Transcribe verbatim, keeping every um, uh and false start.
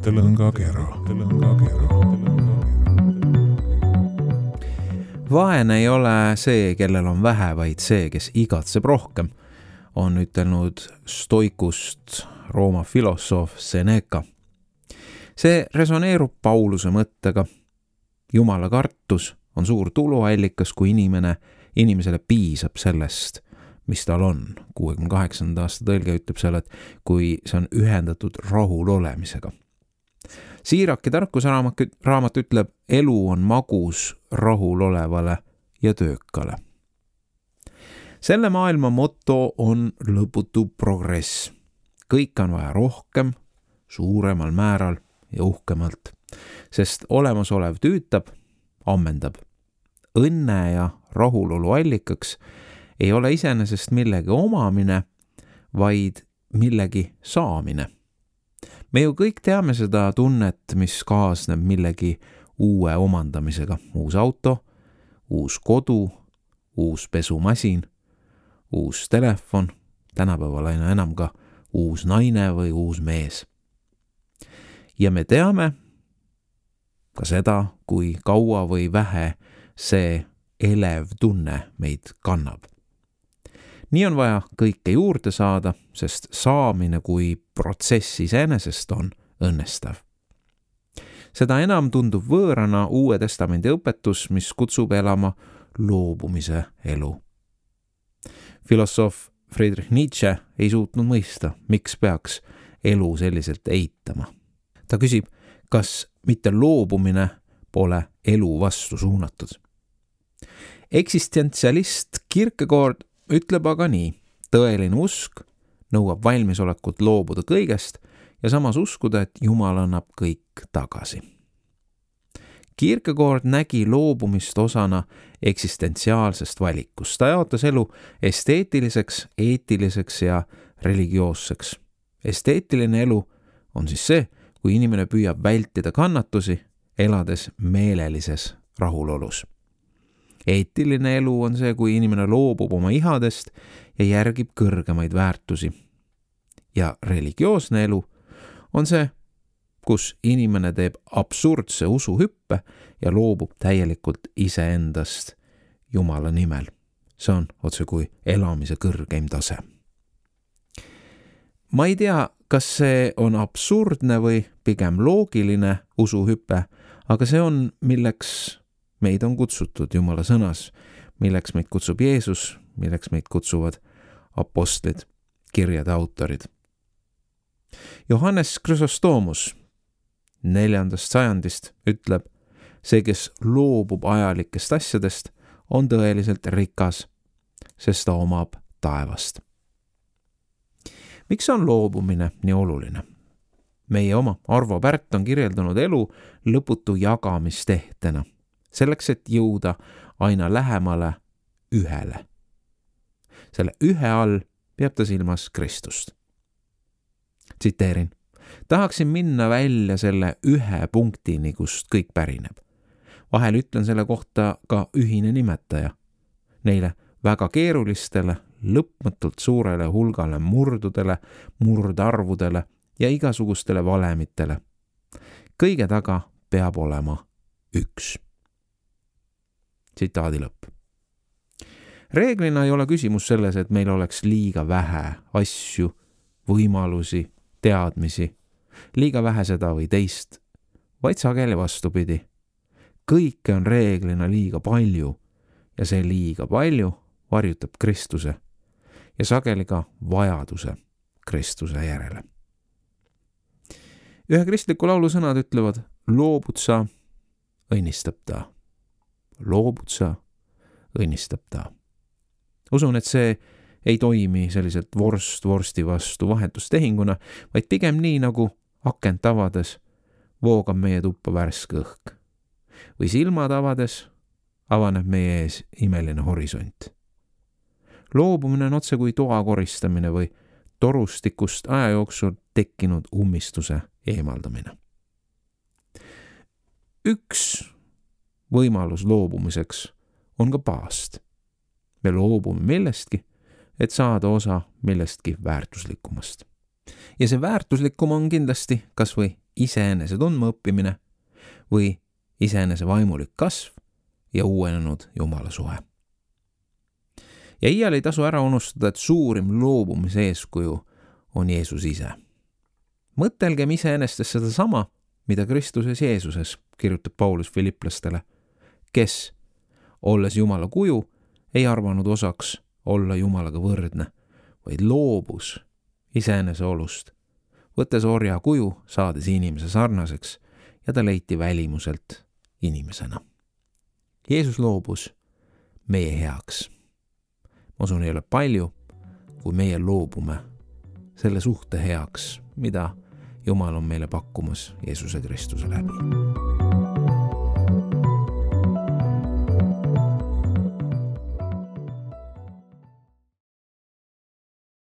Tõlõngakera. Vaene ei ole see, kellel on vähe, vaid see, kes igatseb rohkem, on ütelnud stoikust Rooma filosoof Seneca. See resoneerub Pauluse mõttega. Jumala kartus on suur tuluallikas, kui inimene, inimesele piisab sellest, mis tal on. kuuekümne kaheksanda aasta tõlge ütleb seal, et kui see on ühendatud rahul olemisega. Siiraki tarkusraamat ütleb, elu on magus rahul olevale ja töökale. Selle maailma motto on lõputu progress. Kõik on vaja rohkem, suuremal määral ja uhkemalt, sest olemasolev tüütab, ammendab. Õnne ja rahulolu allikaks ei ole iseenesest millegi omamine, vaid millegi saamine. Me ju kõik teame seda tunnet, mis kaasneb millegi uue omandamisega. Uus auto, uus kodu, uus pesumasin, uus telefon, tänapäeval aina enam ka uus naine või uus mees. Ja me teame ka seda, kui kaua või vähe see elev tunne meid kannab. Nii on vaja kõike juurde saada, sest saamine kui protsess iseenesest on õnnestav. Seda enam tundub võõrana Uue Testamendi õpetus, mis kutsub elama loobumise elu. Filosoof Friedrich Nietzsche ei suutnud mõista, miks peaks elu selliselt eitama. Ta küsib, kas mitte loobumine pole elu vastu suunatud. Eksistentsialist Kierkegaard ütleb aga nii, tõeline usk nõuab valmisolekut loobuda kõigest ja samas uskuda, et Jumal annab kõik tagasi. Kierkegaard nägi loobumist osana eksistentsiaalsest valikust. Ta jaotas elu esteetiliseks, eetiliseks ja religioosseks. Esteetiline elu on siis see, kui inimene püüab vältida kannatusi, elades meelelises rahulolus. Eetiline elu on see, kui inimene loobub oma ihadest ja järgib kõrgemaid väärtusi. Ja religioosne elu on see, kus inimene teeb absurdse usuhüppe ja loobub täielikult iseendast Jumala nimel. See on otse kui elamise kõrgeim tase. Ma ei tea, kas see on absurdne või pigem loogiline usuhüpe, aga see on, milleks meid on kutsutud Jumala sõnas, milleks meid kutsub Jeesus, milleks meid kutsuvad apostlid, kirjade autorid. Johannes Chrysostomos neljandast sajandist ütleb, see, kes loobub ajalikest asjadest, on tõeliselt rikas, sest ta omab taevast. Miks on loobumine nii oluline? Meie oma Arvo Pärt on kirjeldanud elu lõputu jagamistehtena. Selleks, et jõuda aina lähemale ühele. Selle ühe all peab ta silmas Kristust. Tsiteerin. Tahaksin minna välja selle ühe punktini, kust kõik pärineb. Vahel ütlen selle kohta ka ühine nimetaja. Neile väga keerulistele, lõpmatult suurele hulgale murdudele, murdarvudele ja igasugustele valemitele. Kõige taga peab olema üks. Tsitaadi lõpp. Reeglina ei ole küsimus selles, et meil oleks liiga vähe asju, võimalusi, teadmisi, liiga vähe seda või teist, vaid sageli vastupidi. Kõike on reeglina liiga palju ja see liiga palju varjutab Kristuse ja sageli ka vajaduse Kristuse järele. Ühe kristliku laulu sõnad ütlevad, loobud sa, õnnistab ta. Loobud sa, õnnistab ta. Usun, et see ei toimi selliselt vorst vorsti vastu vahetustehinguna, vaid pigem nii nagu akent avades voogab meie tuppa värske õhk. Või silmad avades avaneb meie ees imeline horisont. Loobumine on otse kui toa koristamine või torustikust aja jooksul tekkinud ummistuse eemaldamine. Üks võimalus loobumiseks on ka paast. Me loobume millestki, et saada osa millestki väärtuslikumast. ja see väärtuslikum on kindlasti kas või iseenese tundma õppimine või iseenese vaimulik kasv ja uuenenud Jumala suhe. Ja iial ei tasu ära unustada, et suurim loobumise eeskuju on Jeesus ise. Mõtelgem iseenestes seda sama, mida Kristuses Jeesuses, kirjutab Paulus Filiplastele, kes, olles Jumala kuju, ei arvanud osaks olla Jumalaga võrdne, vaid loobus iseenese olust, võttes orja kuju, saades inimese sarnaseks ja ta leiti välimuselt inimesena. Jeesus loobus meie heaks. Ma usun, ei ole palju, kui meie loobume selle suhte heaks, mida Jumal on meile pakkumas Jeesuse Kristuse läbi.